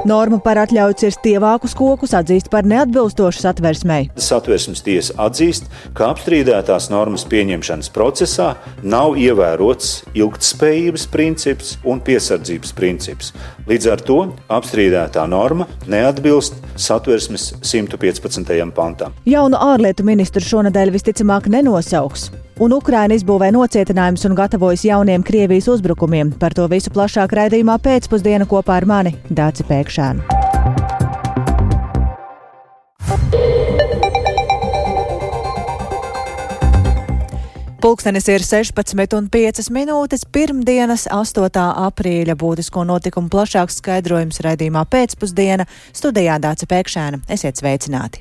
Norma par atļauju cirst tievākus kokus atzīst par neatbilstošu satversmei. Satversmes tiesa atzīst, ka apstrīdētās normas pieņemšanas procesā nav ievērots ilgtspējības princips un piesardzības princips. Līdz ar to apstrīdētā norma neatbilst satversmes 115. pantam. Jaunu ārlietu ministru šonedēļ visticamāk nenosauks. Un Ukraina izbūvē nocietinājumus un gatavojas jauniem Krievijas uzbrukumiem. Par to visu plašāk raidījumā pēcpusdiena kopā ar mani, Dāci Pēkšēnu. Pulkstenis ir 16:05, pirmdienas 8. aprīļa būtisko notikumu plašāks skaidrojums raidījumā pēcpusdiena. Studijā Dāci Pēkšēna. Esiet sveicināti!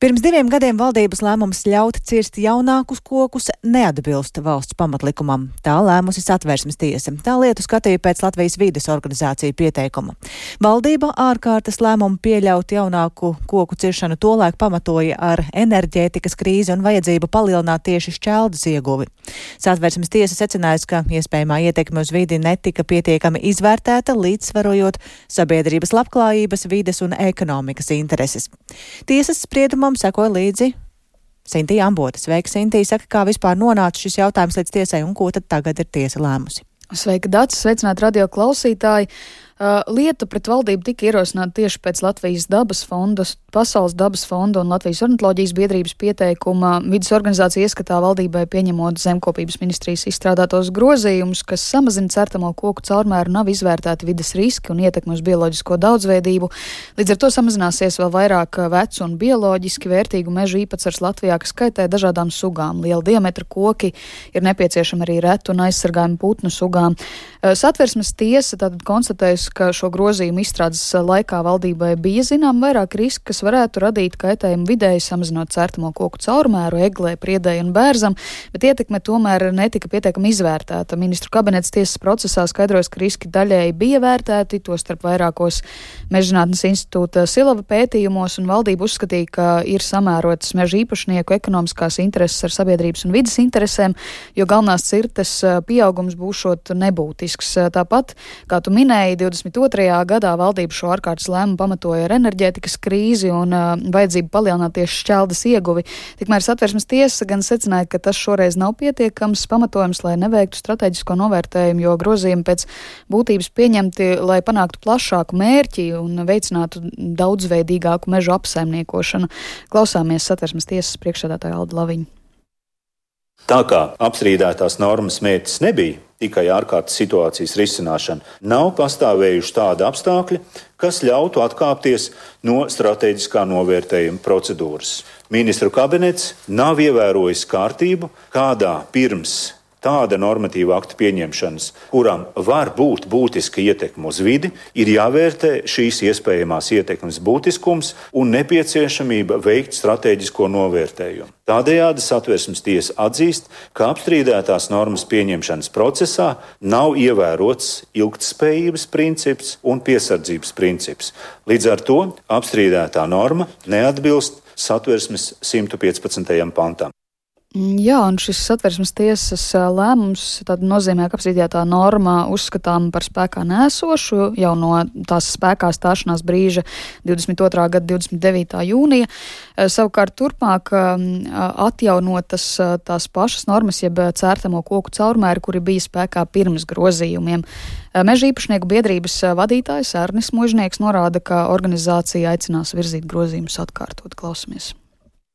Pirms 2 gadiem valdības lēmums ļaut cirst jaunākus kokus neatbilst valsts pamatlikumam. Tā lēmusi Satversmes tiesa. Tā lietu skatīja pēc Latvijas vides organizāciju pieteikuma. Valdība ārkārtas lēmumu pieļaut jaunāku koku ciršanu tolaik pamatoja ar enerģētikas krīzi un vajadzību palielināt tieši šķeldas ieguvi. Satversmes tiesa secinājusi, ka iespējamā ietekme uz vidi netika pietiekami izvērtēta, līdzsvarojot sabiedrības labklājības, vides un ekonomikas intereses. Tiesas spriedumam sekoja līdzi Sintija Ambota. Sveika, Sintija. Saka, kā vispār nonāca šis jautājums līdz tiesai un ko tad tagad ir tiesa lēmusi? Sveika, Dācis. Sveicināt radio klausītāji. Lieta pret valdību tika ierosināta tieši pēc Latvijas dabas fonda, Pasaules dabas fonda un Latvijas ornitoloģijas biedrības pieteikuma. Vides organizācija ieskatā valdībai pieņemot zemkopības ministrijas izstrādātos grozījumus, kas samazina certamo koku caurmēru, nav izvērtēti vides riski un ietekmi uz bioloģisko daudzveidību. Līdz ar to samazināsies vēl vairāk vecu un bioloģiski vērtīgu mežu īpatsvars Latvijā, kas skaitē dažādām sugām. Liela diametra koki ir nepieciešami arī retu un aizsargājumu putnu sugām. Satversmes tiesa tātad konstatējusi, ka šo grozījumu izstrādes laikā valdībai bija zinām vairāk riski, kas varētu radīt kaitējumu vidēji, samazinot certamo koku caurmēru, eglē, priedēji un bērzam, bet ietekme tomēr netika pietiekami izvērtēta. Ministru kabinets tiesas procesā skaidrojas, ka riski daļēji bija vērtēti, tostarp vairākos Mežzinātnes institūta Silava pētījumos, un valdība uzskatīja, ka ir samērotas meža īpašnieku ekonomiskās intereses ar sabiedrības un vides interesēm, jo galvenās cirtes pieaugums būšot nebūtisks. Tāpat, kā tu minēji, 22. gadā valdība šo ārkārtas lēmumu pamatoja ar enerģētikas krīzi un vajadzību palielināt tieši šķeldas ieguvi. Tikmēr Satversmes tiesa gan secināja, ka tas šoreiz nav pietiekams pamatojums, lai neveiktu strateģisko novērtējumu, jo grozījumi pēc būtības pieņemti, lai panāktu plašāku mērķi un veicinātu daudzveidīgāku mežu apsaimniekošanu. Klausāmies Satversmes tiesas priekšsēdētāja Alda Laviņa. Tā kā apstrīdētās normas mērķis nebija tikai ārkārtas situācijas risināšana, nav pastāvējuši tādi apstākļi, kas ļautu atkāpties no strateģiskā novērtējuma procedūras. Ministru kabinets nav ievērojis kārtību, kādā pirms tāda normatīva akta pieņemšanas, kuram var būt būtiska ietekme uz vidi, ir jāvērtē šīs iespējamās ietekmes būtiskums un nepieciešamība veikt strateģisko novērtējumu. Tādējādi Satversmes tiesa atzīst, ka apstrīdētās normas pieņemšanas procesā nav ievērots ilgtspējības princips un piesardzības princips. Līdz ar to apstrīdētā norma neatbilst Satversmes 115. pantam. Jā, un šis Satversmes tiesas lēmums nozīmē, ka apstrīdētā norma uzskatām par spēkā nēsošu jau no tās spēkā stāšanās brīža 22. gada 29. jūnija. Savukārt turpmāk atjaunotas tās pašas normas, jeb cērtamo koku caurmēri, kuri bija spēkā pirms grozījumiem. Meža īpašnieku biedrības vadītājs Arnis Mužnieks norāda, ka organizācija aicinās virzīt grozījumus atkārtot. Klausamies.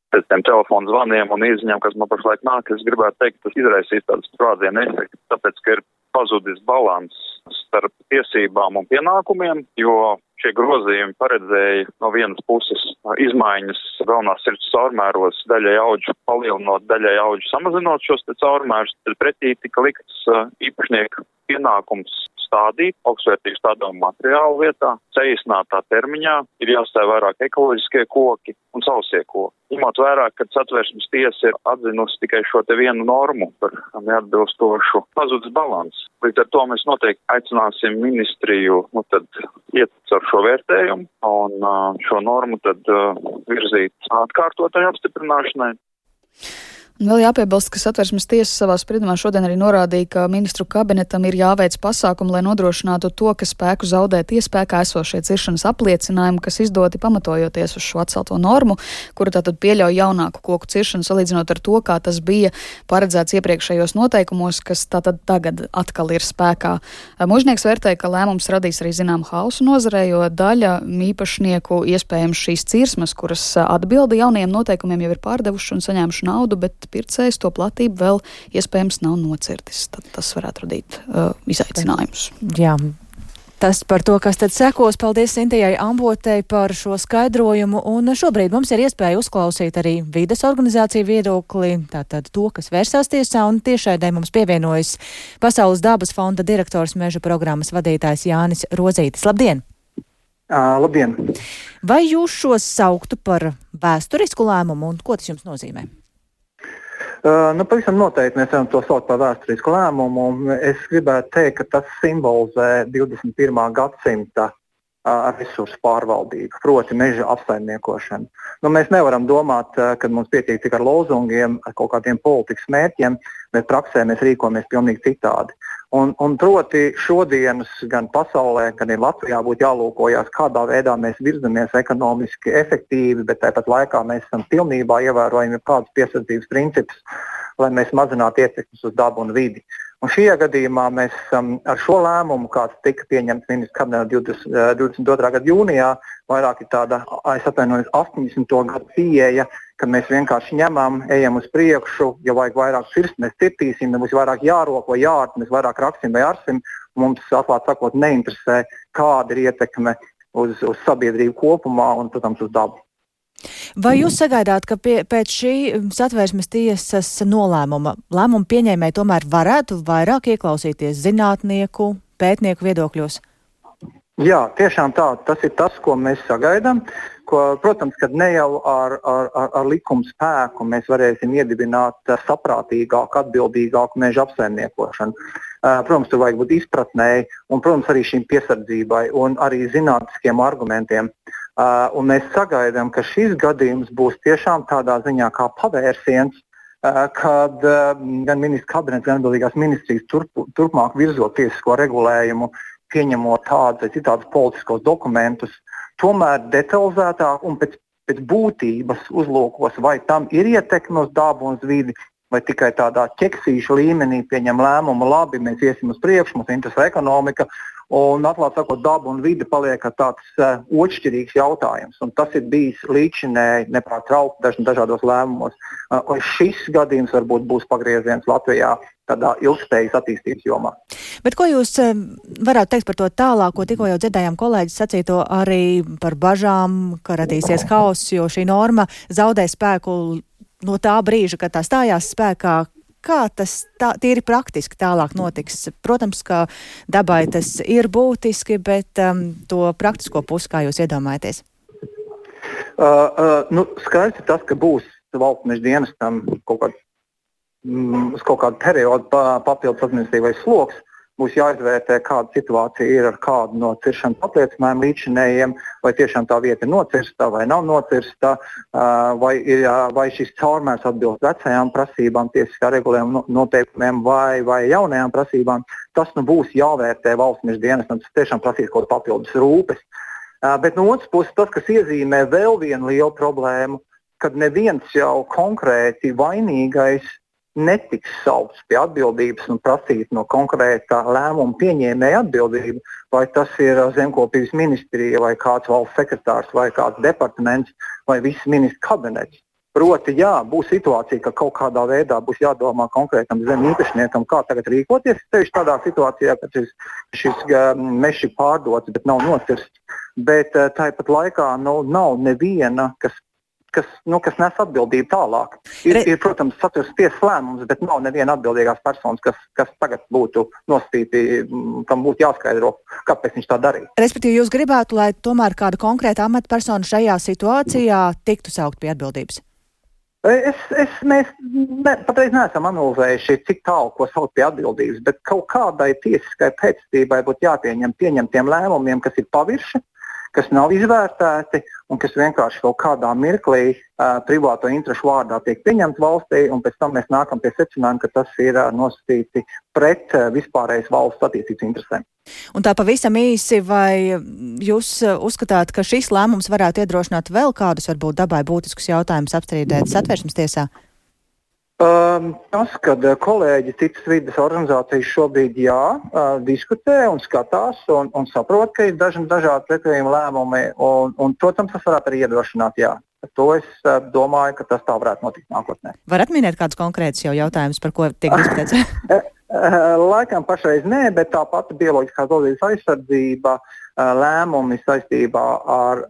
Pēc tiem telefonu zvaniem un izziņām, kas man pašlaik nāk, es gribētu teikt, tas izraisīs tādas sprādzienu efektu, tāpēc, ka ir pazudis balans starp tiesībām un pienākumiem, jo šie grozījumi paredzēja no vienas puses izmaiņas galvenās sirds caurmēros, daļai audžu palielinot, daļai audžu samazinot šos caurmērus, tad pretī tika likts īpašnieku pienākums stādīt augstsvērtīgu stādāmu materiālu vietā, saīsinātā termiņā ir jāstāv vairāk ekoloģiskie koki un sausie koki. Ņemot vērā, ka Satversmes tiesa ir atzinusi tikai šo te vienu normu par neatbilstošu pazudis balans. Līdz ar to mēs noteikti aicināsim ministriju iet ar šo vērtējumu un šo normu tad virzīt atkārtotai apstiprināšanai. Vēl jāpiebilst, ka Satversmes tiesa savā spriedumā šodien arī norādīja, ka ministru kabinetam ir jāveic pasākumi, lai nodrošinātu to, ka spēku zaudē tie spēkā esošie ciršanas apliecinājumi, kas izdoti pamatojoties uz šo atcelto normu, kura tātad pieļauj jaunāku koku ciršanu salīdzinot ar to, kā tas bija paredzēts iepriekšējos noteikumos, kas tātad tagad atkal ir spēkā. Mužnieks vērtēja, ka lēmums radīs arī zinām hausu nozarē, jo daļa īpašnieku iespējams šīs cirsmas, kuras atbilda jaunajiem noteikumiem, jau ir pārdevuši un saņēmuši naudu, bet pircējs to platību vēl iespējams nav nocirtis. Tad tas varētu radīt izaicinājumus. Jā. Tas par to, kas tad sekos. Paldies Sintijai Ambotei par šo skaidrojumu. Un šobrīd mums ir iespēja uzklausīt arī vides organizāciju viedokli, tātad to, kas vērsās tiesā, un tiešraidē mums pievienojas Pasaules dabas fonda direktors meža programmas vadītājs Jānis Rozītis. Labdien! Labdien! Vai jūs šos sauktu par vēsturisku lēmumu, un ko tas jums nozīmē? Pavisam noteikti mēs varam to saukt par vēsturisku lēmumu. Es gribētu teikt, ka tas simbolizē 21. gadsimta resursu pārvaldību, proti meža apsaimniekošanu. Mēs nevaram domāt, ka mums pietiek tikai ar lozungiem, ar kaut kādiem politikas mērķiem, bet praksē mēs rīkojamies pilnīgi citādi. Un proti šodienas gan pasaulē, gan arī Latvijā būtu jālūkojas, kādā veidā mēs virzamies ekonomiski efektīvi, bet tāpat laikā mēs esam pilnībā ievērojami kādus piesardzības principus, lai mēs mazinātu ietekmes uz dabu un vidi. Un šajā gadījumā mēs ar šo lēmumu, kāds tika pieņemts ministra kabinetā 22. gada jūnijā, vairāk ir tāda, 80. gadu pieeja, ka mēs vienkārši ņemam, ejam uz priekšu, ja vajag vairāk cirst, mēs cirtīsim, ja mums vairāk jārok vai jārt, mēs vairāk raksim vai arsim, un mums, atklāt sakot, neinteresē, kāda ir ietekme uz sabiedrību kopumā un, protams, uz dabu. Vai jūs sagaidāt, ka pēc šī Satversmes tiesas nolēmuma lēmumu pieņēmēji tomēr varētu vairāk ieklausīties zinātnieku, pētnieku viedokļos? Jā, tiešām tā. Tas ir tas, ko mēs sagaidām. Protams, ka ne jau ar likumu spēku mēs varēsim iedibināt saprātīgāku, atbildīgāku meža apsaimniekošanu. Protams, tur vajag būt izpratnēji un, protams, arī šīm piesardzībai un arī zinātniskiem argumentiem. Un mēs sagaidām, ka šis gadījums būs tiešām tādā ziņā kā pavērsiens, kad gan ministra kabinets, gan atbildīgās ministrijas turpmāk virzot tiesisko regulējumu, pieņemot tādus vai citādus politiskos dokumentus, tomēr detalizētāk un pēc būtības uzlūkos, vai tam ir ietekme uz dabu un uz vidi, vai tikai tādā ķeksīšu līmenī pieņem lēmumu, labi, mēs iesim uz priekšu, mums interesē ekonomika, un atklāt sakot, daba un vide paliek tāds otršķirīgs jautājums. Un tas ir bijis līdzinēji nepārtraukti dažādos lēmumos. Un šis gadījums varbūt būs pagrieziens Latvijā tādā ilgspējas attīstības jomā. Bet ko jūs varētu teikt par to tālāko? Tikko jau dzirdējām kolēģis sacīto arī par bažām, ka radīsies hauss, jo šī norma zaudē spēku no tā brīža, kad tā stājās spēkā. Kā tas tīri praktiski tālāk notiks? Protams, ka dabai tas ir būtiski, bet to praktisko pusi, kā jūs iedomājaties? Skaidrs ir tas, ka būs valsts meža dienestam uz kaut kādu periodu papildus administratīvais sloks. Būs jāizvērtē, kāda situācija ir ar kādu no ciršanas apliecinājumu līdzinējiem, vai tiešām tā vieta ir nocirsta vai nav nocirsta, vai šis caurmērs atbilst vecajām prasībām, tiesiskā regulējuma noteikumiem vai jaunajām prasībām. Tas būs jāvērtē valsts meža dienestam, tas tiešām prasīs kaut papildus rūpes. Bet no otras puses tas, kas iezīmē vēl vienu lielu problēmu, kad neviens jau konkrēti vainīgais netiks saukts pie atbildības un prasīt no konkrētā lēmuma pieņēmēja atbildību, vai tas ir zemkopības ministrija, vai kāds valsts sekretārs, vai kāds departaments, vai viss ministra kabinets. Proti, jā, būs situācija, ka kaut kādā veidā būs jādomā konkrētam zem īpašniekam, kā tagad rīkoties. Tieši tādā situācijā, kad šis mežs ir pārdots, bet nav nocirsts. Bet tāpat laikā nav neviena, kas nes atbildību tālāk. Ir protams, Satversmes tiesas lēmums, bet nav neviena atbildīgās personas, kas tagad būtu nosacīti, kam būtu jāskaidro, kāpēc viņš tā darīja. Respektīvi, jūs gribētu, lai tomēr kāda konkrēta amatpersona šajā situācijā tiktu saukt pie atbildības? Mēs patreiz neesam analizējuši, cik tālu ko saukt pie atbildības, bet kaut kādai tiesiskai pēctībai būtu jāpieņem pieņemtiem lēmumiem, kas ir pavirši, kas nav izvērtēti un kas vienkārši kaut kādā mirklī privāto interešu vārdā tiek pieņemti valstī, un pēc tam mēs nākam pie secinājuma, ka tas ir nosacīti pret vispārējas valsts attīstības interesēm. Un tā pavisam īsi, vai jūs uzskatāt, ka šis lēmums varētu iedrošināt vēl kādus, varbūt dabai būtiskus jautājumus apstrīdēt Satversmes tiesā? Tas, kad kolēģi citas vides organizācijas šobrīd diskutē un skatās un saprot, ka ir dažādi pretējumi lēmumi, un, protams, tas varētu arī iedrošināt, To es domāju, ka tas tā varētu notikt nākotnē. Varat minēt kādus konkrētus jau jautājumus, par ko tiek diskutēts? Laikam pašreiz nē, bet tā pati bioloģiskās daudzības aizsardzība, lēmumi saistībā ar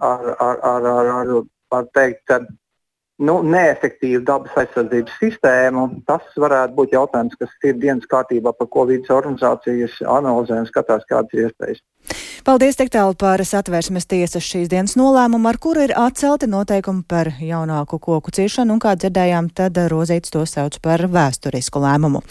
teikt, neefektīvu dabas aizsardzības sistēmu, tas varētu būt jautājums, kas ir dienas kārtībā, par ko vides organizācijas analizē un skatās, kādas ir iespējas. Paldies tik tālu par Satversmes tiesas šīs dienas nolēmumu, ar kuru ir atcelti noteikumi par jaunāku koku ciršanu, un kā dzirdējām, tad Rozītis to sauc par vēsturisku lēmumu.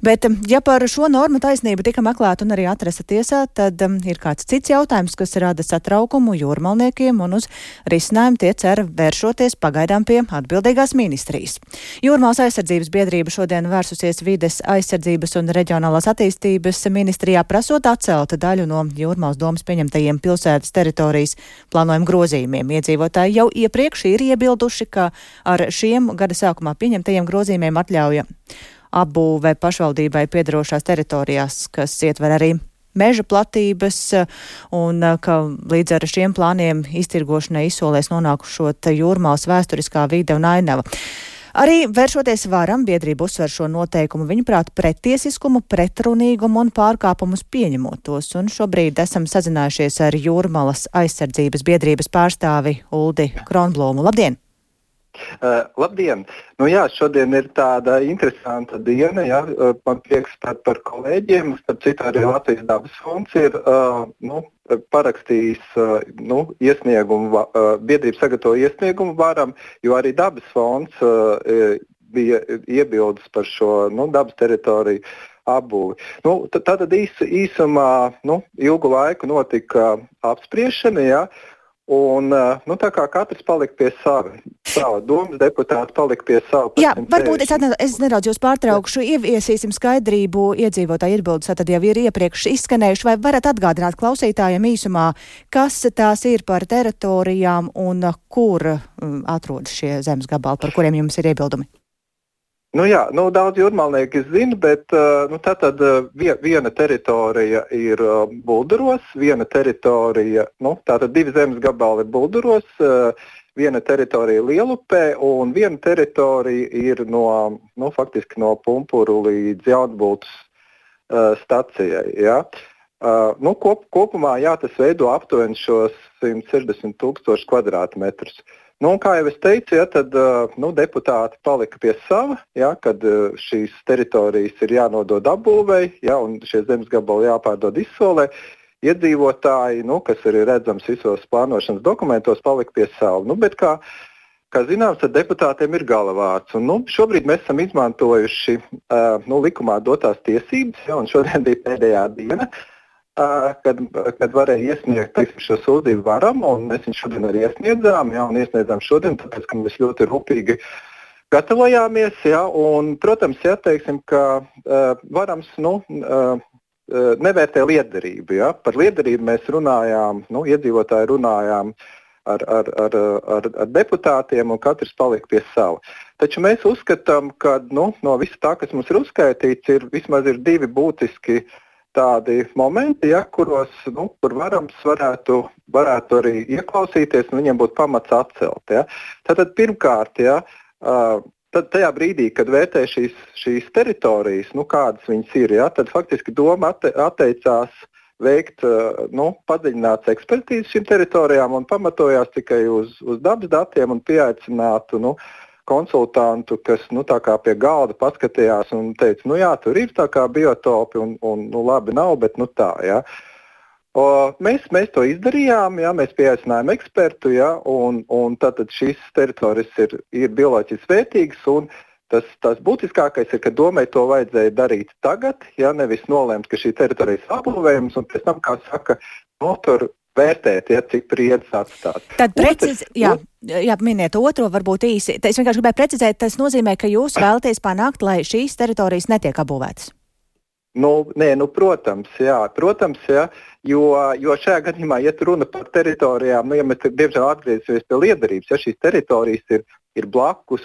Bet, ja par šo normu taisnību tika meklēta un arī atrasta tiesā, tad ir kāds cits jautājums, kas rada satraukumu jūrmalniekiem, un uz risinājumu tie cer vēršoties pagaidām pie atbildīgās ministrijas. Jūrmālas aizsardzības biedrība šodien vērsusies vides aizsardzības un reģionālās attīstības ministrijā, prasot atcelt daļu no Jūrmālas domas pieņemtajiem pilsētas teritorijas plānojumu grozījumiem. Iedzīvotāji jau iepriekš ir iebilduši, ka ar šiem gada sākumā pieņemtajiem grozījumiem atļauja apbūve pašvaldībai piederošās teritorijās, kas ietver arī meža platības, un ka līdz ar šiem plāniem iztirgošanai izsolēs nonākušot Jūrmālas vēsturiskā vide un ainava. Arī vēršoties varam, biedrība uzsver šo noteikumu, viņuprāt, pretiesiskumu, pretrunīgumu un pārkāpumus pieņemot tos, un šobrīd esam sazinājušies ar Jūrmalas aizsardzības biedrības pārstāvi Uldi Kronblūmu. Labdien! Labdien! Šodien ir tāda interesanta diena, man prieks par kolēģiem, starp citu arī Latvijas dabas fonds ir parakstījis iesniegumu, biedrība sagatavo iesniegumu varam, jo arī dabas fonds bija iebildes par šo dabas teritoriju apbūvi. Tātad īsumā ilgu laiku notika apspriešana, un tā kā katrs palika pie sava domas deputāti palika pie sava. Jā, varbūt es nedaudz jūs pārtraukšu, ieviesīsim skaidrību, iedzīvotāji iebildes, tad jau ir iepriekš izskanējuši, vai varat atgādināt klausītājiem īsumā, kas tās ir par teritorijām un kur atrodas šie zemes gabali, par kuriem jums ir iebildumi? Daudz jūrmalnieki zina, bet tātad viena teritorija ir Bulduros, viena teritorija, tātad divi zemes gabali ir Bulduros, viena teritorija Lielupē un viena teritorija ir faktiski no Pumpuru līdz Jaunbultas stacijai. Kopumā tas veido aptuveni šos 160,000 kvadrātmetrus. Kā jau es teicu, tad deputāti palika pie sava, kad šīs teritorijas ir jānodod apbūvei, un šie zemes gabali jāpārdod izsolē. Iedzīvotāji, kas arī redzams visos plānošanas dokumentos, palika pie sava. Bet kā zināms, tad deputātiem ir galavārds. Un, šobrīd mēs esam izmantojuši likumā dotās tiesības, un šodien bija pēdējā diena, kad varēja iesniegt šo sūdzību varam, un mēs viņu šodien arī iesniedzām, un iesniedzām šodien, tāpēc, ka mēs ļoti rūpīgi gatavojāmies, un, protams, teiksim, ka varams, nevērtē lietderību, Par lietderību mēs runājām, iedzīvotāji runājām ar deputātiem, un katrs palika pie sava. Taču mēs uzskatām, ka, no visa tā, kas mums ir uzskaitīts, vismaz ir divi būtiski tādi momenti, kuros, kur varams varētu arī ieklausīties, un viņiem būtu pamats atcelt. Tātad pirmkārt, tad tajā brīdī, kad vērtē šīs teritorijas, kādas viņas ir, tad faktiski doma atteicās veikt padziļināts ekspertīzes šīm teritorijām un pamatojās tikai uz dabas datiem un pieaicinātu konsultantu, kas tā kā pie galda paskatījās un teica, tur ir tā kā biotopi un labi nav, bet tā, Mēs to izdarījām, mēs pieaicinājām ekspertu, un tātad šīs teritorijas ir bioloģiski vērtīgas, un tas būtiskākais ir, ka domai to vajadzēja darīt tagad, nevis nolēmt, ka šī teritorija ir apbūvējums, un pēc tam, kā saka, tur vērtēt, cik priedz atstāt. Tad miniet otro varbūt īsi. Es vienkārši gribēju precizēt, tas nozīmē, ka jūs vēlaties panākt, lai šīs teritorijas netiek apbūvētas. Protams, jo šajā gadījumā, ja runa par teritorijām, ja mēs diemžēl atgriezīsimies pie liederības, ja šīs teritorijas ir blakus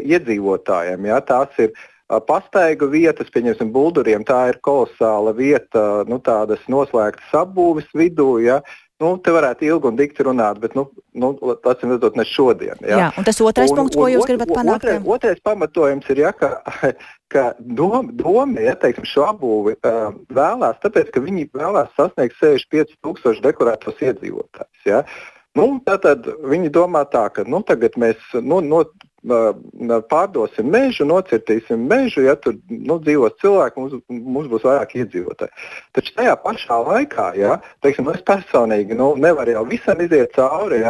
iedzīvotājiem, tās ir pastaigu vietas, pieņemsim, Bulduriem, tā ir kolosāla vieta, tādas noslēgtas apbūves vidū, te varētu ilgi un dikti runāt, bet, atcīm redzot, ne šodien. Jā, un tas otrais punkts, ko jūs gribat panākt? Otrais pamatojums ir, ka doma, teiksim, šo apbūvi vēlās, tāpēc, ka viņi vēlās sasniegt 65,000 deklarētos iedzīvotājus, Tātad viņi domā tā, ka, tagad mēs, pārdosim mežu, nocirtīsim mežu, tur dzīvos cilvēki, mums būs vairāk iedzīvotāji. Taču tajā pašā laikā, teiksim, es personīgi nevaru jau visam iziet cauri,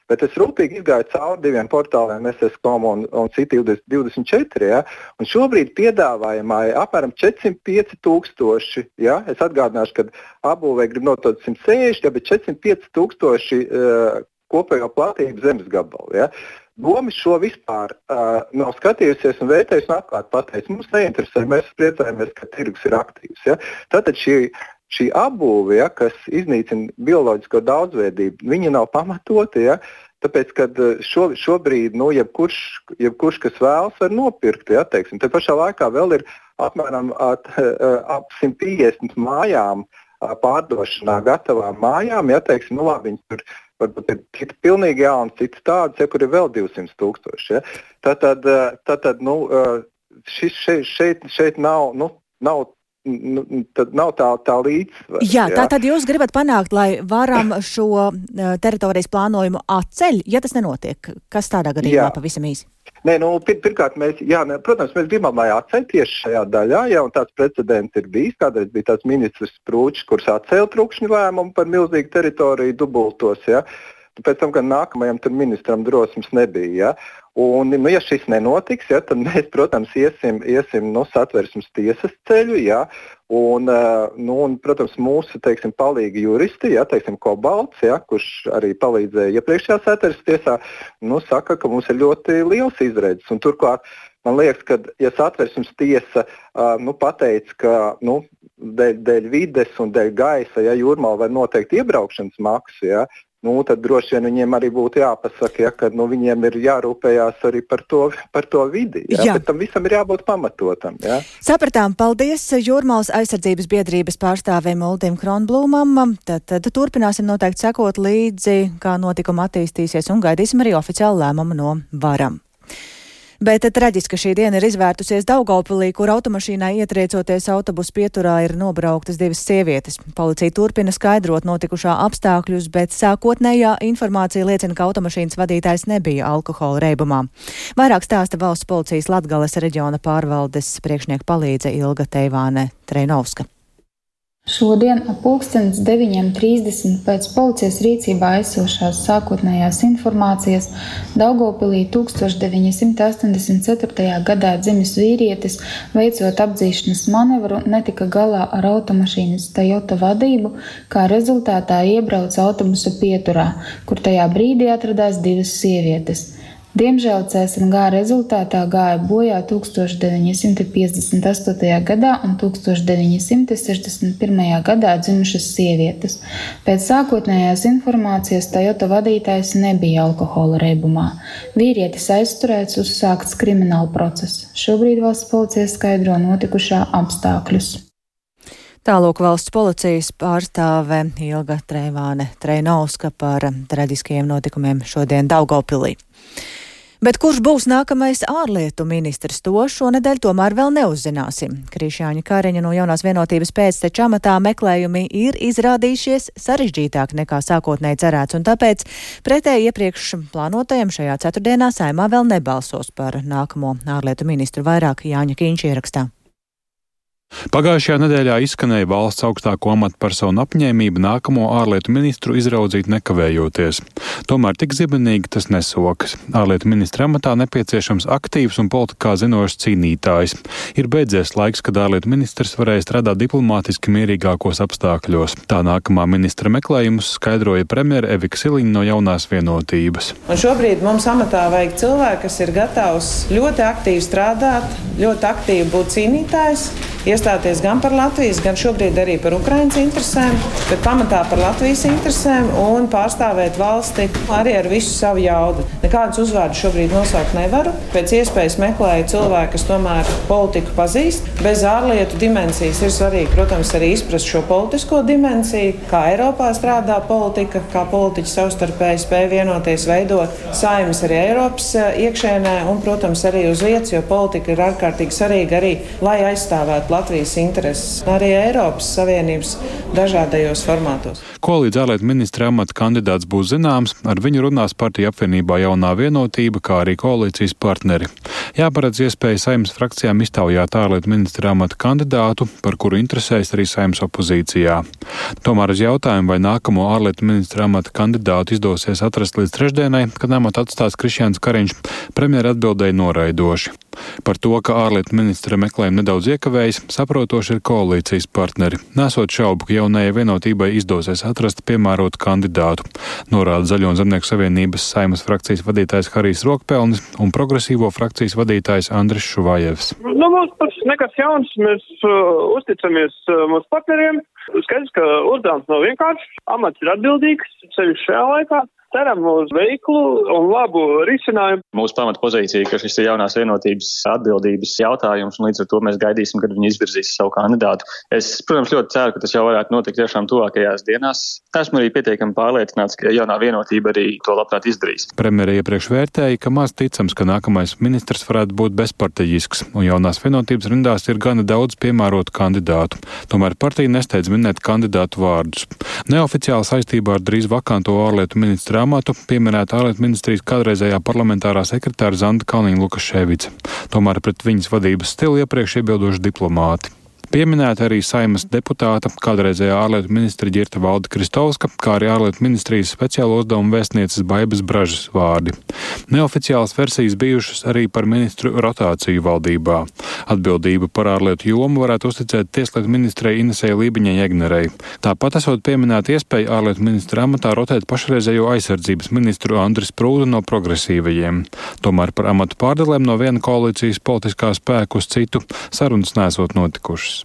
bet es rūpīgi izgāju cauri diviem portāliem SS.com un Citi24, un šobrīd piedāvājumā ir apmēram 405,000, es atgādināšu, ka apbūvē grib notot 160, bet 405,000 kopējo platību zemes gabalu, Doma šo vispār nav skatījusies un vērtējusi un atklāti pateicis. Mums neinteresē, mēs priecājamies, ka tirgus ir aktīvs. Tātad šī apbūve, kas iznīcina bioloģisko daudzveidību, viņa nav pamatota, tāpēc, ka šobrīd, jebkurš, kas vēlas, var nopirkt, teiksim. Te pašā laikā vēl ir apmēram ap 150 mājām pārdošanā gatavām mājām, teiksim, labi, viņi tur varbūt ir pilnīgi jauns, cits tāds, kur ir vēl 200,000. Tātad, šeit nav tā līdzsvara. Tātad jūs gribat panākt, lai varam šo teritorijas plānojumu atceļ, ja tas nenotiek. Kas tādā gadījumā pavisam īsi? Pirmkārt, protams, mēs gribam, lai atceļ tieši šajā daļā, un tāds precedents ir bijis. Kādreiz bija tāds ministrs Prūčs, kurš atcēla trūkšņu lēmumu par milzīgu teritoriju dubultos, Pēc tam, gan nākamajam ministram drosmes nebija, Un, ja šis nenotiks, tad mēs, protams, iesim Satversmes tiesas ceļu, un, protams, mūsu, teiksim, palīgi juristi, teiksim, Kobalts, kurš arī palīdzēja iepriekšējā Satversmes tiesā, saka, ka mums ir ļoti liels izredzes. Un turklāt, man liekas, ka, ja Satversmes tiesa pateica, ka dēļ vides un dēļ gaisa, Jūrmala var noteikt iebraukšanas maksu, tad droši vien viņiem arī būtu jāpasaka, ka viņiem ir jārūpējās arī par to vidi. Bet tam visam ir jābūt pamatotam. Sapratām, paldies Jūrmalas aizsardzības biedrības pārstāvim Uldim Kronblūmam. Tad turpināsim noteikti sekot līdzi, kā notikuma attīstīsies, un gaidīsim arī oficiālu lēmumu no varam. Bet traģiski šī diena ir izvērtusies Daugavpilī, kur automašīnai ietriecoties autobusu pieturā ir nobrauktas 2 sievietes. Policija turpina skaidrot notikušā apstākļus, bet sākotnējā informācija liecina, ka automašīnas vadītājs nebija alkohola reibumā. Vairāk stāsta valsts policijas Latgales reģiona pārvaldes priekšnieka palīdze Ilga Teivāne Treinovska. Šodien ap 9:30 pēc policijas rīcībā esošās sākotnējās informācijas Daugavpilī 1984. gadā dzimis vīrietis, veicot apdzīšanas manevru, netika galā ar automašīnas Toyota vadību, kā rezultātā iebrauca autobusa pieturā, kur tajā brīdī atradās 2 sievietes. Diemžēl CSNG rezultātā gāja bojā 1958. gadā un 1961. gadā dzimušas sievietes. Pēc sākotnējās informācijas Toyota vadītājs nebija alkohola reibumā. Vīrietis aizturēts, uzsākts krimināla process. Šobrīd valsts policija skaidro notikušā apstākļus. Tālūk valsts policijas pārstāve Ilga Teivāne Treinovska par traģiskajiem notikumiem šodien Daugavpilī. Bet kurš būs nākamais ārlietu ministrs, to šonedēļ tomēr vēl neuzzināsim. Krišjāņa Kariņa no Jaunās vienotības pēcteča amatā meklējumi ir izrādījušies sarežģītāk nekā sākotnēji cerēts, un tāpēc pretēji iepriekš plānotajam šajā ceturtdienā Saeimā vēl nebalsos par nākamo ārlietu ministru. Vairāk Jāņa Kīņš ierakstā. Pagājušajā nedēļā izskanēja valsts augstāko amatpersonu apņēmība nākamo ārlietu ministru izraudzīt nekavējoties. Tomēr tik zibenīgi tas nesokas. Ārlietu ministra amatā nepieciešams aktīvs un politikā zinošs cīnītājs. Ir beidzies laiks, kad ārlietu ministrs varēja strādāt diplomātiski mierīgākos apstākļos. Tā nākamā ministra meklējumus skaidroja premjere Evika Siliņa no Jaunās vienotības. Un šobrīd mums amatā vajag cilvēku, kas ir gatavs ļoti aktīvi strādāt, ļoti aktīvi būt cīnītājs, iestāties gan par Latvijas, gan šobrīd arī par Ukrainas interesēm, bet pamatā par Latvijas interesēm un pārstāvēt valsti arī ar visu savu jaudu. Nekādus uzvārdus šobrīd nosaukt nevaru. Pēc iespējas meklēju cilvēku, kas tomēr politiku pazīst. Bez ārlietu dimensijas ir svarīgi, protams, arī izprast šo politisko dimensiju, kā Eiropā strādā politika, kā politiķi savstarpēji spēj vienoties, veidot saimnes arī Eiropas iekšēnē un, protams, arī uz vietas, jo politika ir ārkārtīgi svarīga arī, lai aizstāvētu Latvijas intereses, arī Eiropas Savienības dažādajos formātos. Ko līdz ārlietu ministra amata kandidāts būs zināms, ar viņu runās partija apvienībā Jaunā vienotība, kā arī koalīcijas partneri. Jāparedz iespēja Saeimas frakcijām iztaujāt ārlietu ministra amata kandidātu, par kuru interesēs arī Saeimas opozīcijā. Tomēr uz jautājumu, vai nākamo ārlietu ministra amata kandidātu izdosies atrast līdz trešdienai, kad amatu atstās Krišjāns Kariņš, premjera atbildēja noraidoši. Par to, ka ārlietu ministra meklējumi nedaudz iekavējas, saprotoši ir koalīcijas partneri. Nesot šaubu, ka Jaunajai vienotībai izdosies atrast piemērotu kandidātu, norāda Zaļo un Zemnieku savienības Saeimas frakcijas vadītājs Harijs Rokpelnis un progresīvo frakcijas vadītājs Andris Šuvājevs. Mums tas nekas jauns, mēs uzticamies mūsu partneriem. Skaidrs, ka uzdevums nav vienkāršs, amats ir atbildīgs, sevišķi šajā laikā. Ceram uz veiklu un labu risinājumu. Mūsu pamata pozīcija, ka šis ir Jaunās vienotības atbildības jautājums, un līdz ar to mēs gaidīsim, kad viņi izvirzīs savu kandidātu. Es, protams, ļoti ceru, ka tas jau varētu notikt tiešām tuvākajās dienās. Esmu arī pietiekami pārliecināts, ka Jaunā vienotība arī to labprāt izdarīs. Premjere iepriekš vērtēja, ka maz ticams, ka nākamais ministrs varētu būt bezpartejisks, un Jaunās vienotības rindās ir gana daudz piemērotu kandidātu. Tomēr partija nesteidz minēt kandidātu vārdus. Neoficiāli saistībā ar drīz vakanto ārlietu ministra amatu pieminēta ārlietu ministrijas kādreizējā parlamentārā sekretāra Zanda Kalniņa-Lukaševica. Tomēr pret viņas vadības stilu iepriekš iebildoši diplomāti. Pieminēta arī Saeimas deputāta, kādreizējā ārlietu ministra Ģirta Valde Kristovska, kā arī ārlietu ministrijas speciālo uzdevumu vēstnieces Baibas Bražas vārdi. Neoficiālas versijas bijušas arī par ministru rotāciju valdībā. Atbildību par ārlietu jomu varētu uzticēt tieslietu ministrei Inesei Lībiņai-Egnerei. Tāpat esot pieminēta iespēja ārlietu ministra amatā rotēt pašreizējo aizsardzības ministru Andris Prūdu no progresīvajiem. Tomēr par amatu pārdalēm no viena koalīcijas politiskā spēka uz citu sarunas nesot notikušas.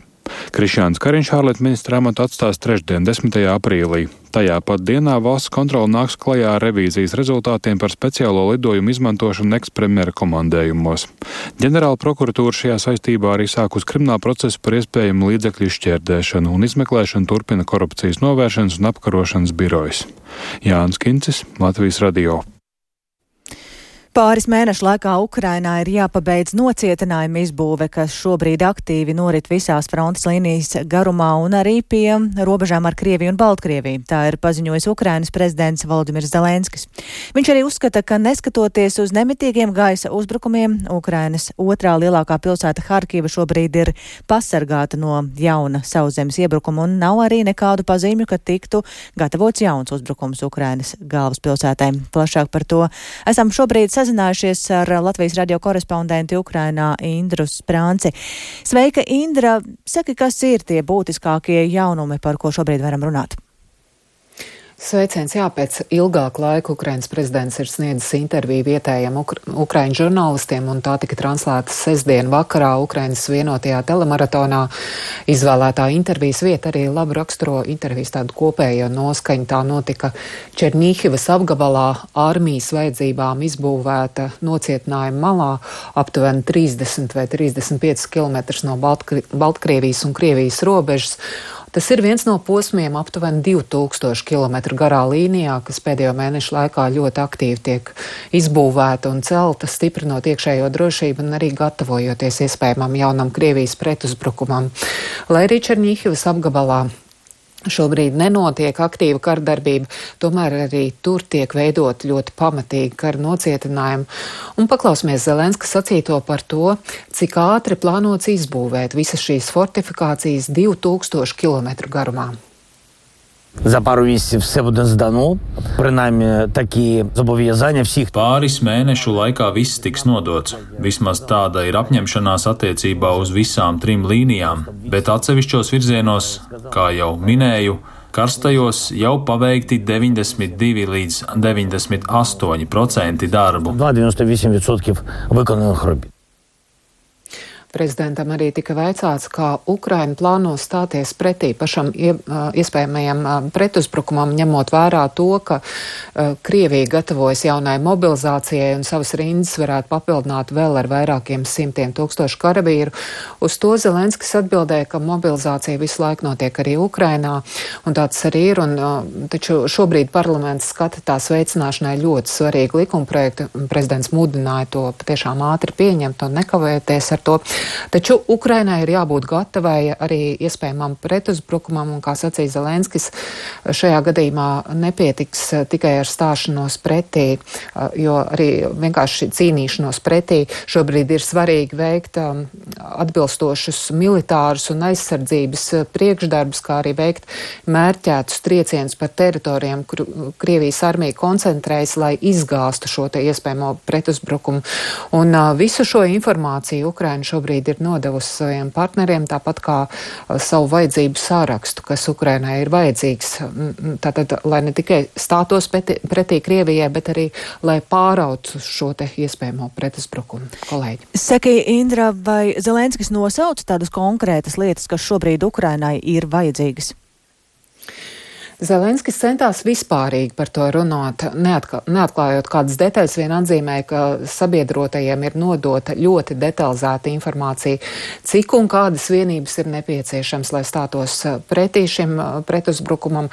Krišjāns Kariņš ārlietu ministra amatu atstās trešdien, 10. aprīlī. Tajā pat dienā valsts kontrole nāks klajā ar revīzijas rezultātiem par speciālo lidojumu izmantošanu ekspremjera komandējumos. Ģenerāla prokuratūra šajā saistībā arī sākus kriminālu procesu par iespējamu līdzekļu izšķērdēšanu un izmeklēšanu turpina korupcijas novēršanas un apkarošanas birojas. Jānis Kincis, Latvijas radio. Pāris mēnešu laikā Ukrainā ir jāpabeidz nocietinājuma izbūve, kas šobrīd aktīvi norit visās frontes līnijas garumā un arī pie robežām ar Krieviju un Baltkrieviju. Tā ir paziņojis Ukrainas prezidents Volodimirs Zelenskis. Viņš arī uzskata, ka neskatoties uz nemitīgiem gaisa uzbrukumiem, Ukrainas otrā lielākā pilsēta Harkiva šobrīd ir pasargāta no jauna sauszemes iebrukuma un nav arī nekādu pazīmju, ka tiktu gatavots jauns uzbrukums Ukrainas galvaspilsētai. Plašāk par to esam šobrīd sazinājušies ar Latvijas radio korespondentu Ukrainā Indru Sprānci. Sveika, Indra! Saki, kas ir tie būtiskākie jaunumi, par ko šobrīd varam runāt? Sveiciens, jā, pēc ilgāka laika Ukrainas prezidents ir sniedzis interviju vietējiem Ukraiņu žurnālistiem, un tā tika translēta sestdien vakarā Ukrainas vienotajā telemaratonā. Izvēlētā intervijas vieta arī labi raksturo intervijas tādu kopējo noskaņu. Tā notika Černīhivas apgabalā, armijas vajadzībām izbūvēta nocietinājuma malā, aptuveni 30 vai 35 km no Baltkrievijas un Krievijas robežas. Tas ir viens no posmiem aptuveni 2000 km garā līnijā, kas pēdējo mēnešu laikā ļoti aktīvi tiek izbūvēta un celta, stiprinot iekšējo drošību un arī gatavojoties iespējamam jaunam Krievijas pretuzbrukumam. Lai arī Černīhivas apgabalā šobrīd nenotiek aktīva kardarbība, tomēr arī tur tiek veidot ļoti pamatīgi kara nocietinājumi. Un paklausīsimies Zelenska sacīto par to, cik ātri plānots izbūvēt visas šīs fortifikācijas 2000 km garumā. За пару місяців все буде здано, принаймні такі зобов'язання всіх. Pāris mēnešu laikā viss tiks nodots. Vismaz tāda ir apņemšanās attiecībā uz visām 3 līnijām, bet atsevišķos virzienos, kā jau minēju, karstajos jau paveikti 92 līdz 98% darbu. 98% виконаних робіт. Prezidentam arī tika vaicāts, kā Ukraina plāno stāties pretī pašam iespējamajam pretuzbrukumam, ņemot vērā to, ka Krievija gatavojas jaunai mobilizācijai un savas rindas varētu papildināt vēl ar vairākiem simtiem tūkstošu karavīru. Uz to Zelenskis atbildēja, ka mobilizācija visu laiku notiek arī Ukrainā, un tāds arī ir, taču šobrīd parlaments skata tās veicināšanai ļoti svarīgu likumprojektu. Prezidents mudināja to patiešām ātri pieņemt un nekavēties ar to. Taču Ukrainai ir jābūt gatavai arī iespējamam pretuzbrukumam, un, kā sacīja Zelenskis, šajā gadījumā nepietiks tikai ar stāšanos pretī, jo arī vienkārši cīnīšanos pretī šobrīd ir svarīgi veikt atbilstošus militārus un aizsardzības priekšdarbus, kā arī veikt mērķētus triecienus par teritorijām, kur Krievijas armija koncentrējas, lai izgāstu šo te iespējamo pretuzbrukumu. Un visu šo informāciju Ukraina šobrīd ir nodevusi saviem partneriem, tāpat kā savu vajadzību sārakstu, kas Ukrainai ir vajadzīgs. Tātad, lai ne tikai stātos pretī Krievijai, bet arī, lai pārautu šo te iespējamo pretuzbrukumu. Kolēģi. Saki, Indra, vai Zelenskis nosauc tādas konkrētas lietas, kas šobrīd Ukrainai ir vajadzīgas? Zelenskis centās vispārīgi par to runāt, neatklājot kādas detaļas, vien atzīmēja, ka sabiedrotajiem ir nodota ļoti detalizēta informācija, cik un kādas vienības ir nepieciešams, lai stātos pretī šim pretuzbrukumam,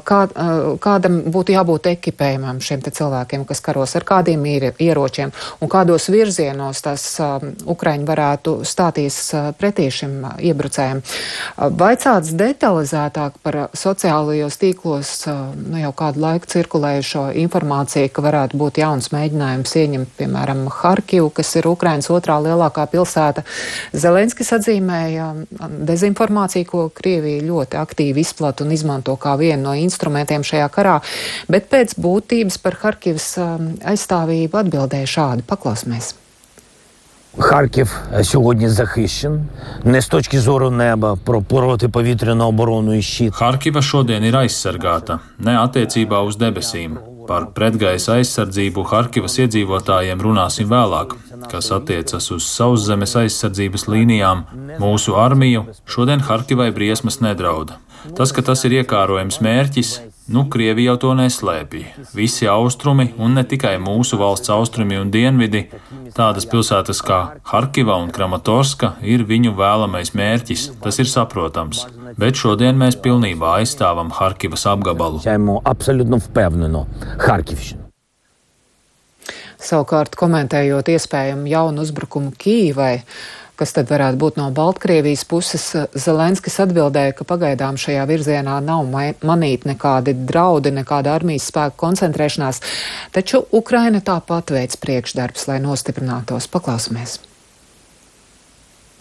kādam būtu jābūt ekipējumam šiem te cilvēkiem, kas karos ar kādiem ieročiem un kādos virzienos tas Ukraiņi varētu stāties pretī šim iebrucējiem. Vaicāts detalizētāk par sociālajos tīklos jau kādu laiku cirkulējušo informāciju, ka varētu būt jauns mēģinājums ieņemt, piemēram, Harkivu, kas ir Ukrainas otrā lielākā pilsēta. Zelenskis atzīmēja dezinformāciju, ko Krievija ļoti aktīvi izplata un izmanto kā vienu no instrumentiem šajā karā, bet pēc būtības par Harkivas aizstāvību atbildēja šādi. Paklausīsimies. Харків сьогодні захищен, не з точки зору неба, про протиповітряну оборону і щит. Harkiva šodien ir aizsargāta, ne attiecībā uz debesīm. Par pretgaisa aizsardzību Harkivas iedzīvotājiem runāsim vēlāk, kas attiecas uz sauszemes aizsardzības līnijām. Mūsu armiju šodien Harkivai briesmas nedrauda. Tas, ka tas ir iekārojams mērķis, Krievija jau to neslēpja. Visi austrumi, un ne tikai mūsu valsts austrumi un dienvidi, tādas pilsētas kā Harkiva un Kramatorska ir viņu vēlamais mērķis, tas ir saprotams. Bet šodien mēs pilnībā aizstāvam Harkivas apgabalu. Absolūti vpevneno Harkivšanu. Savukārt, komentējot iespējamu jaunu uzbrukumu Kīvai, kas tad varētu būt no Baltkrievijas puses, Zelenskis atbildēja, ka pagaidām šajā virzienā nav manīti nekādi draudi, nekāda armijas spēku koncentrēšanās, taču Ukraina tāpat veic priekšdarbs, lai nostiprinātos. Paklausīsimies.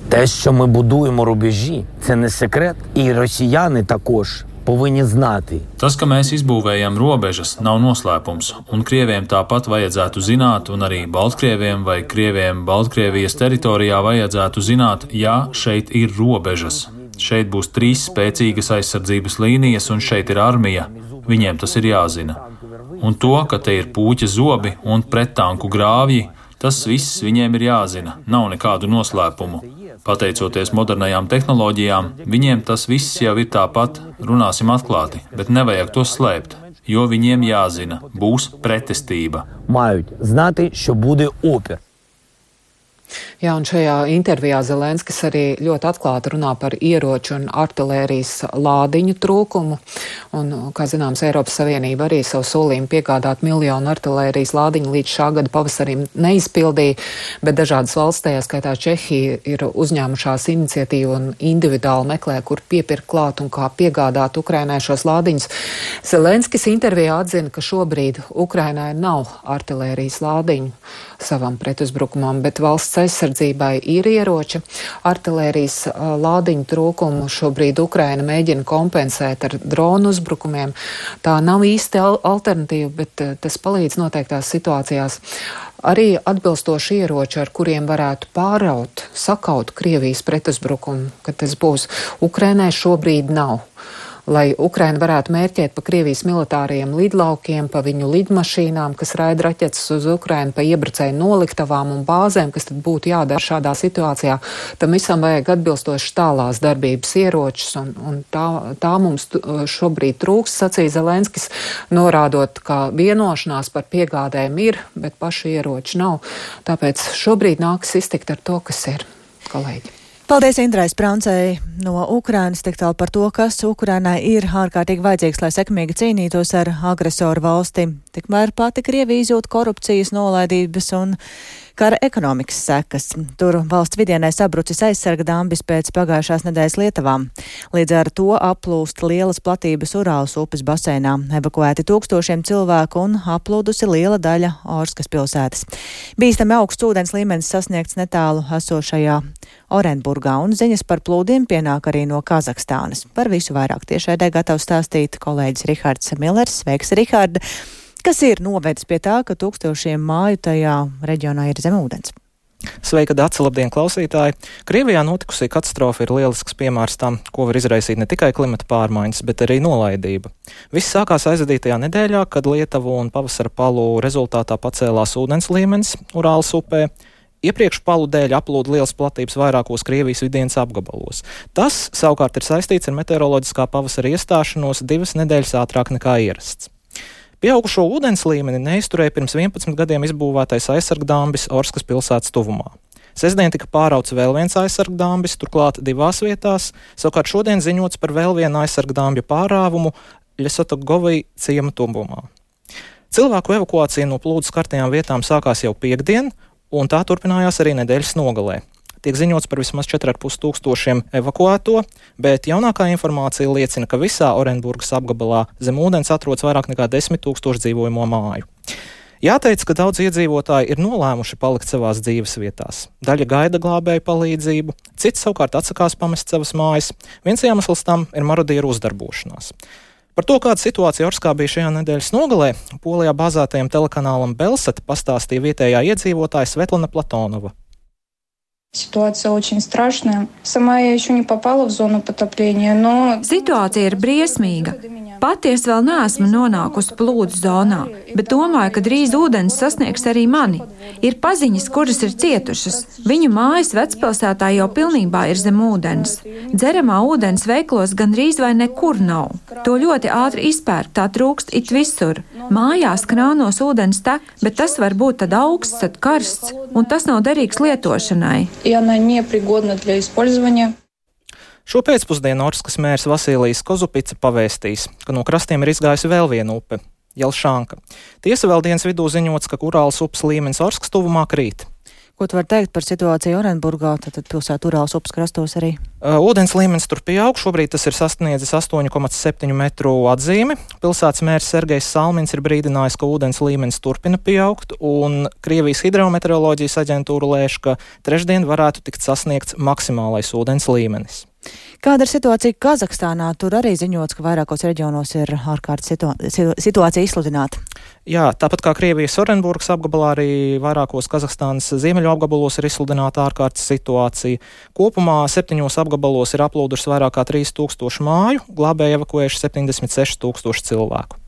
Те, що ми будуємо рубежі, це не секрет, і росіяни також повинні знати. Tas, ka mēs izbūvējam robežas, nav noslēpums, un Krieviem tāpat vajadzētu zināt, un arī Baltkrieviem vai Krieviem Baltkrievijas teritorijā vajadzētu zināt, ja šeit ir robežas. Šeit būs 3 spēcīgas aizsardzības līnijas, un šeit ir armija. Viņiem tas ir jāzina. Un to, ka te ir puķa zobi un prettanku grāvji, tas viss viņiem ir jāzina. Nav nekādu noslēpumu. Pateicoties modernajām tehnoloģijām, viņiem tas viss jau ir tāpat, runāsim atklāti, bet nevajag to slēpt, jo viņiem jāzina, būs pretestība. Мають знати, що буде опір. Jā, un šajā intervijā Zelenskis arī ļoti atklāti runā par ieroču un artilērijas lādiņu trūkumu. Un, kā zināms, Eiropas Savienība arī savu solījumu piegādāt 1 miljonu artilērijas lādiņu līdz šā gada pavasarim neizpildīja, bet dažādas valsts, tajā skaitā Čehija, ir uzņēmušās iniciatīvu un individuāli meklē, kur piepirkt klāt un kā piegādāt Ukrainai šos lādiņus. Zelenskis intervijā atzina, ka šobrīd Ukrainai nav artilērijas lādiņu savam pretuzbrukumam, bet valsts aizsardzībai ir ieroči. Artilērijas lādiņu trūkumu šobrīd Ukraina mēģina kompensēt ar dronu uzbrukumiem. Tā nav īsti alternatīva, bet tas palīdz noteiktās situācijās. Arī atbilstoši ieroči, ar kuriem varētu pāraut, sakaut Krievijas pretuzbrukumu, kad tas būs, Ukrainai šobrīd nav. Lai Ukraina varētu mērķēt pa Krievijas militāriem lidlaukiem, pa viņu lidmašīnām, kas raida raķetes uz Ukrainu, pa iebrucēju noliktavām un bāzēm, kas tad būtu jādara šādā situācijā, tam visam vajag atbilstoši tālās darbības ieročus, un tā mums šobrīd trūks, sacīja Zelenskis, norādot, ka vienošanās par piegādēm ir, bet paši ieroči nav. Tāpēc šobrīd nākas iztikt ar to, kas ir, kolēģi. Paldies Indrai Sprancei no Ukrainas, tik tālu par to, kas Ukrainai ir ārkārtīgi vajadzīgs, lai sekmīgi cīnītos ar agresoru valsti. Tikmēr pati Krievija izjūt korupcijas, nolaidības un kara ekonomikas sekas. Tur valsts vidienē sabrucis aizsarga dambis pēc pagājušās nedēļas lietavām. Līdz ar to aplūst lielas platības Urāls upes baseinā. Evakuēti tūkstošiem cilvēku un aplūdusi liela daļa Orskas pilsētas. Bīstami augsts ūdens līmenis sasniegts netālu esošajā Orenburgā, un ziņas par plūdiem pienāk arī no Kazahstānas. Par visu vairāk tiešraidē gatavs stāstīt kolēģis Rihards Millers. Sveiks, Riharda! Kas ir novedis pie tā, ka tūkstošiem māju tajā reģionā ir zem ūdens? Sveika, Dace, labdien, klausītāji! Krievijā notikusī katastrofa ir lielisks piemērs tam, ko var izraisīt ne tikai klimata pārmaiņas, bet arī nolaidība. Viss sākās aizvadītajā nedēļā, kad Lietuvu un pavasara palu rezultātā pacēlās ūdens līmenis Urāls upē. Iepriekš palu dēļ aplūda liels platības vairākos Krievijas vidienas apgabalos. Tas savukārt ir saistīts ar meteoroloģiskā pavasara iestāšanos 2 nedēļas ātrāk nekā ierasts. Pieaugušo ūdens līmeni neizturēja pirms 11 gadiem izbūvētais aizsargdambis Orskas pilsētas tuvumā. Sestdien tika pārauts vēl viens aizsargdambis, turklāt 2 vietās, savukārt šodien ziņots par vēl vienu aizsargdambju pārāvumu Ļesotogovī ciema tuvumā. Cilvēku evakuācija no plūdu skartajām vietām sākās jau piektdien, un tā turpinājās arī nedēļas nogalē. Tiek ziņots par vismaz 4,5 tūkstošiem evakuēto, bet jaunākā informācija liecina, ka visā Orenburgas apgabalā zem ūdens atrodas vairāk nekā 10 000 dzīvojamo māju. Jāteic, ka daudz iedzīvotāji ir nolēmuši palikt savās dzīves vietās. Daļa gaida glābēju palīdzību, citi savukārt atsakās pamest savas mājas. Viens iemesls tam ir marodieru uzdarbošanās. Par to, kāda situācija Orskā bija šajā nedēļas nogalē, Polijā bāzētajam telekanālam Belsat pastāstīja vietējā iedzīvotāja Svetlana Platonova. Ситуация очень страшная. Сама я еще не попала в зону потопления, но... Situācija ir briesmīga. Pati es vēl neesmu nonākusi plūdu zonā, bet domāju, ka drīz ūdens sasniegs arī mani. Ir paziņas, kuras ir cietušas. Viņu mājas vecpilsētā jau pilnībā ir zem ūdens. Dzeramā ūdens veiklos gandrīz vai nekur nav. To ļoti ātri izpērk, tā trūkst it visur. Mājās krānos ūdens tek, bet tas var būt tad augsts, tad karsts, un tas nav derīgs lietošanai. Šo pēcpusdienu Orskas mērs Vasilijs Kozupica pavēstīs, ka no krastiem ir izgājusi vēl viena upe – Jelšanka. Tiesa vēl dienas vidū ziņots, ka Urāls upes līmenis Orskas tuvumā krīt. Ko tu vari teikt par situāciju Orenburgā, tad pilsētu Urāls upes krastos arī? Ūdens līmenis tur pieaug, šobrīd tas ir sasniedzis 8,7 metru atzīmi. Pilsētas mērs Sergejs Salmins ir brīdinājis, ka ūdens līmenis turpina pieaugt, un Krievijas hidrometeoroloģijas aģentūra lēš, ka trešdien varētu tikt sasniegts maksimālais ūdens līmenis. Kāda ir situācija Kazahstānā? Tur arī ziņots, ka vairākos reģionos ir ārkārtas situācija izsludināta. Jā, tāpat kā Krievijas Orenburgas apgabalā, arī vairākos Kazahstānas ziemeļu apgabalos ir izsludināta ārkārtas situācija. Kopumā 7 apgabalos ir aplūdušas vairāk kā 3000 māju, glābēji evakuējuši 76 000 cilvēku.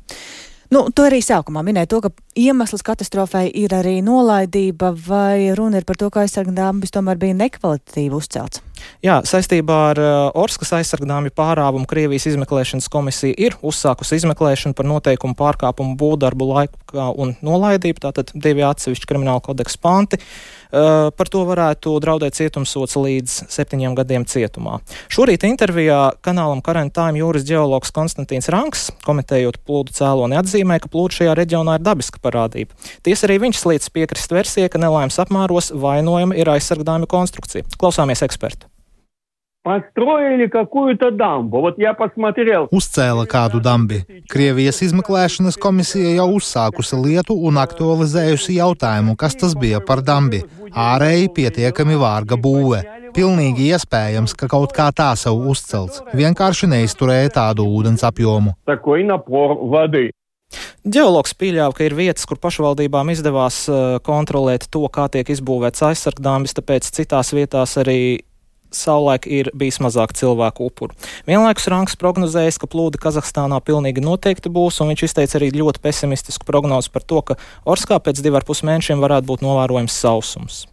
Tu arī sākumā minēji to, ka iemesls katastrofai ir arī nolaidība, vai runa ir par to, ka aizsargdambis tomēr bija nekvalitatīvi uzcelts? Jā, saistībā ar Orskas aizsargdāmju pārāvumu Krievijas izmeklēšanas komisija ir uzsākusi izmeklēšanu par noteikumu pārkāpumu būvdarbu laikā un nolaidību, tātad 2 atsevišķi krimināla kodeksa panti. Par to varētu draudēt cietumsods līdz 7 gadiem cietumā. Šorīt intervijā kanālam Current Time jūras ģeologs Konstantīns Ranks, komentējot plūdu cēloni, atzīmē, ka plūdu šajā reģionā ir dabiska parādība. Tiesa arī viņš slīdz piekrist versijai, ka nelaimes apmēros vainojama ir aizsargdāmju konstrukcija. Klausāmies ekspertu. Построили какую-то дамбу. Вот я посмотрел. Uzcēla kādu dambi. Krievijas izmeklēšanas komisija jau uzsākusi lietu un aktualizējusi jautājumu, kas tas bija par dambi. Ārēji pietiekami vārga būve. Pilnīgi iespējams, ka kaut kā tā savu uzcelts. Vienkārši neizturēja tādu ūdens apjomu. Такой напор воды. Ģeologs pieļāva, ka ir vietas, kur pašvaldībām izdevās kontrolēt to, kā tiek izbūvēts aizsargdāmbis, tāpēc citās vietās arī savulaik ir bijis mazāk cilvēku upuru. Vienlaikus Ranks prognozējis, ka plūdi Kazahstānā pilnīgi noteikti būs, un viņš izteica arī ļoti pesimistisku prognozi par to, ka Orskā pēc 2,5 mēnešiem varētu būt novērojams sausums.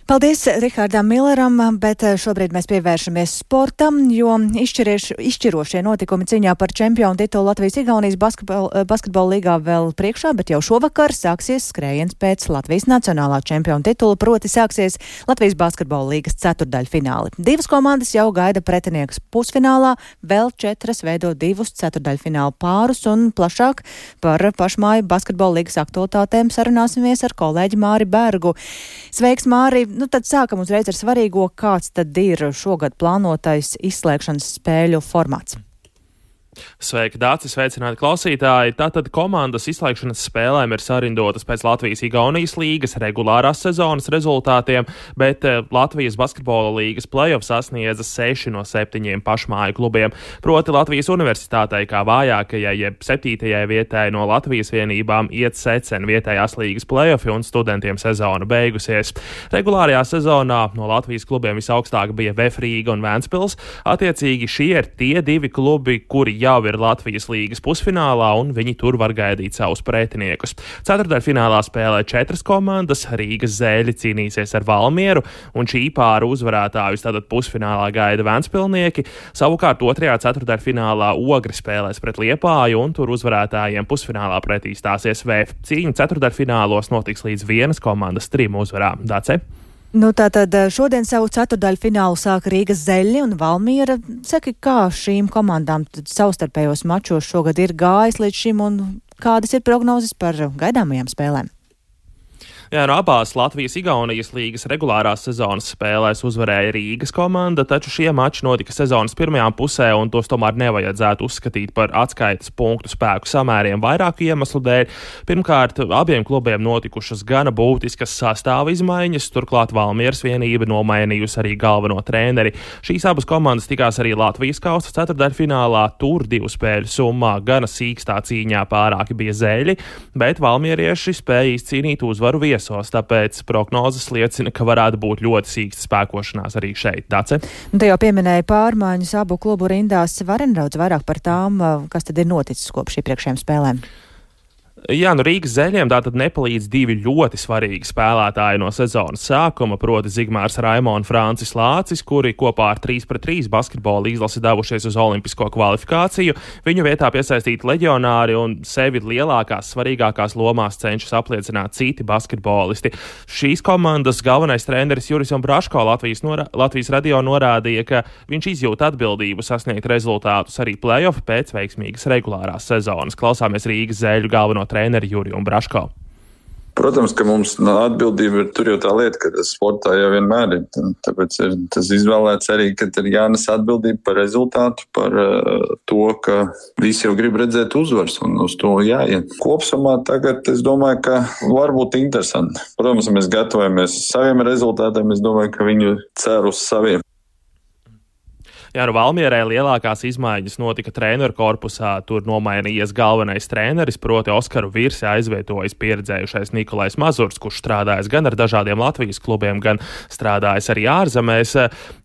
Paldies Rihardam Milleram, bet šobrīd mēs pievēršamies sportam, jo izšķirošie notikumi cīņā par čempionu titulu Latvijas-Igaunijas basketbola līgā vēl priekšā, bet jau šovakar sāksies skrējiens pēc Latvijas nacionālā čempionu titula, proti sāksies Latvijas basketbola līgas ceturtdaļfināli. 2 komandas jau gaida pretiniekus pusfinālā, vēl 4 veido 2 ceturdaļfinālu pārus, un plašāk par pašmāju basketbola līgas aktualitātēm sarunāsimies ar kolēģi Māri Bergu. Sveiks, Māri! Nu, tad sākam uzreiz ar svarīgo, kāds tad ir šogad plānotais izslēgšanas spēļu formāts. Sveiki, Dāci, sveicināti klausītāji! Tātad komandas izslēgšanas spēlēm ir sarindotas pēc Latvijas-Igaunijas līgas regulārās sezonas rezultātiem, bet Latvijas basketbola līgas play-off sasniedza 6 no 7 pašmāju klubiem. Proti Latvijas universitātei kā vājākajai, jeb 7. vietai no Latvijas vienībām iet secen vietējās līgas play-offi un studentiem sezona beigusies. Regulārajā sezonā no Latvijas klubiem visaugstāk bija VF Rīga un Ventspils. Attiecīgi šie ir tie 2 klubi, kuri jau ir Latvijas līgas pusfinālā, un viņi tur var gaidīt savus pretiniekus. Ceturtdaļfinālā spēlē 4 komandas, Rīgas Zēļi cīnīsies ar Valmieru, un šī pāra uzvarētājus tātad pusfinālā gaida Ventspilnieki. Savukārt 2. ceturtdaļfinālā Ogri spēlēs pret Liepāju, un tur uzvarētājiem pusfinālā pretī stāsies VF. Cīņa ceturtdaļfinālos notiks līdz 1 komandas 3 uzvarām. Dace? Nu, tātad šodien savu ceturtdaļu finālu sāka Rīgas Zeļi un Valmiera. Saki, kā šīm komandām savstarpējos mačos šogad ir gājis līdz šim, un kādas ir prognozes par gaidāmajām spēlēm? Jā, no abās Latvijas-Igaunijas līgas regulārās sezonas spēlēs uzvarēja Rīgas komanda, taču šie mači notika sezonas pirmajā pusē, un tos tomēr nevajadzētu uzskatīt par atskaites punktu spēku samēriem vairāku iemeslu dēļ. Pirmkārt, abiem klubiem notikušas gana būtiskas sastāva izmaiņas, turklāt Valmieras vienība nomainījusi arī galveno treneri. Šīs abas komandas tikās arī Latvijas kausa ceturtdaļfinālā, tur 2 spēļu summā gana sīkstā cīņā pārāki bija Zeļi, bet valmierieši spēja izcīnīt uzvaru viesos, tāpēc prognozes liecina, ka varētu būt ļoti sīksta spēkošanās arī šeit. Dace? Te jau pieminēja pārmaiņas abu klubu rindās. Var nedaudz vairāk par tām, kas tad ir noticis kopš iepriekšējām spēlēm? Jā, nu Rīgas Zeļiem tātad nepalīdz 2 ļoti svarīgi spēlētāji no sezonas sākuma, proti Zigmārs Raimo un Francis Lācis, kuri kopā ar 3-3 basketbola izlasi devušies uz olimpisko kvalifikāciju. Viņu vietā piesaistīti leģionāri un sevi lielākās, svarīgākās lomās cenšas apliecināt citi basketbolisti. Šīs komandas galvenais treneris Juris Braško Latvijas radio norādīja, ka viņš izjūt atbildību sasniegt rezultātus arī play-off pēc veiksmīgas regulārās sezonas. Klausāmies Rīgas Zeļu galveno treneri Juriju Braško. Protams, ka mums atbildība ir tur jau tā lieta, ka sportā jau vienmēr ir. Tāpēc ir tas izvēlēts arī, ka ir jānes atbildība par rezultātu, par to, ka visi jau grib redzēt uzvaras un uz to jāiet. Kopsumā tagad es domāju, ka var būt interesanti. Protams, mēs gatavojamies saviem rezultātiem, es domāju, ka viņu cer uz saviem. Jā, Valmierai lielākās izmaiņas notika treneru korpusā. Tur nomainījies galvenais treneris, proti Oskaru Virsi aizvietojis pieredzējušais Nikolais Mazurs, kurš strādājis gan ar dažādiem Latvijas klubiem, gan strādājis arī ārzemēs.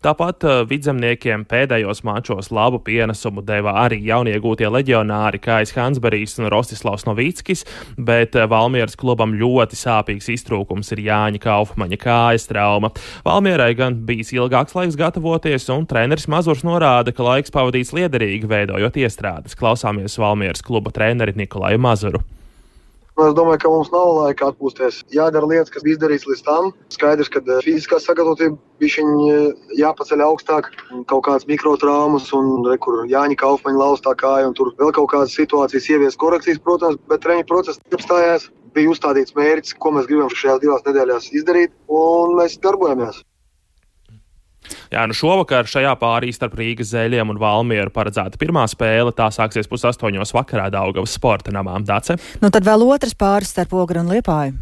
Tāpat vidzemniekiem pēdējos mačos labu pienesumu deva arī jauniegūtie leģionāri Kājs Hansbergs un Rostislavs Novickis, bet Valmieras klubam ļoti sāpīgs iztrūkums ir Jāņa Kaufmaņa kājas trauma. Valmierai gan bijis ilgāks laiks gatavoties, un treneris Mazurs norāda, ka laiks pavadīts liederīgi veidojot iestrādes. Klausāmies Valmieras kluba treneri Nikolaju Mazuru. Es domāju, ka mums nav laika atpūsties. Jādara lietas, kas bija izdarīts līdz tam. Skaidrs, ka fiziskā sagatavotība bišķiņ jāpaceļ augstāk, kaut kādas mikrotraumas un kur Jāņa Kaufmaņa laustā kāja un tur vēl kaut kādas situācijas ievies korekcijas, protams, bet treniņu process apstājās. Bija uzstādīts mērķis, ko mēs gribam šajās 2 nedēļās izdarīt, un mēs darbojamies. Jā, šovakar šajā pārī starp Rīgas Zeļiem un Valmieru paredzēta pirmā spēle. Tā sāksies 7:30 vakarā Daugavas sporta namā. Dace? Tad vēl otrs pāris starp Ogri un Liepāju.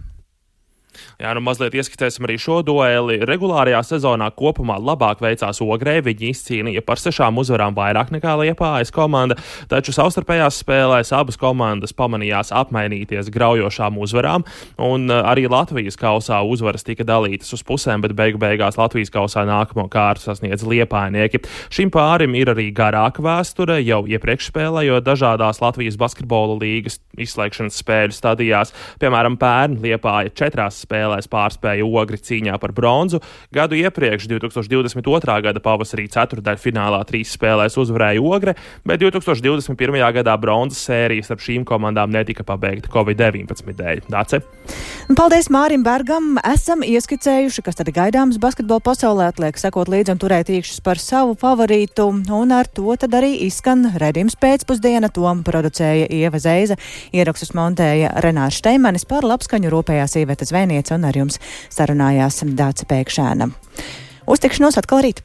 Jā, mazliet ieskicēsim arī šo dueli. Regulārajā sezonā kopumā labāk veicās Ogrei. Viņi izcīnīja par 6 uzvarām vairāk nekā Liepājas komanda, taču savstarpējās spēlēs abas komandas pamanījās apmainīties graujošām uzvarām, un arī Latvijas kausā uzvaras tika dalītas uz pusēm, bet beigās Latvijas kausā nākamo kārtu sasniedz liepājnieki. Šim pārim ir arī garāka vēsture, jau iepriekš spēlējot dažādās Latvijas basketbola līgas izslēgšanas spēļu stadijās. Piemēram, pērn Liepāja 4 spēlēs pārspēja Ogri cīņā par bronzu. Gadu iepriekš, 2022. gada pavasarī ceturtdaļfinālā 3 spēlēs uzvarēja Ogre, bet 2021. gadā bronzas sērijas starp šīm komandām netika pabeigta Covid-19 dēļ. Dace? Paldies Mārim Bergam. Esam ieskicējuši, kas tad gaidāms basketbola pasaulē, atliek sekot līdzi un turēt īkšķus par savu favorītu, un ar to tad arī izskan redzījums pēcpusdiena. To producēja Ieva Zeiza, ierakstus montēja Renārs Šteimanis, par labskaņu rūpējās Iveta Zvēniece un ar jums sarunājās Dāca Pēkšēna. Uz tikšanos atkal rīt!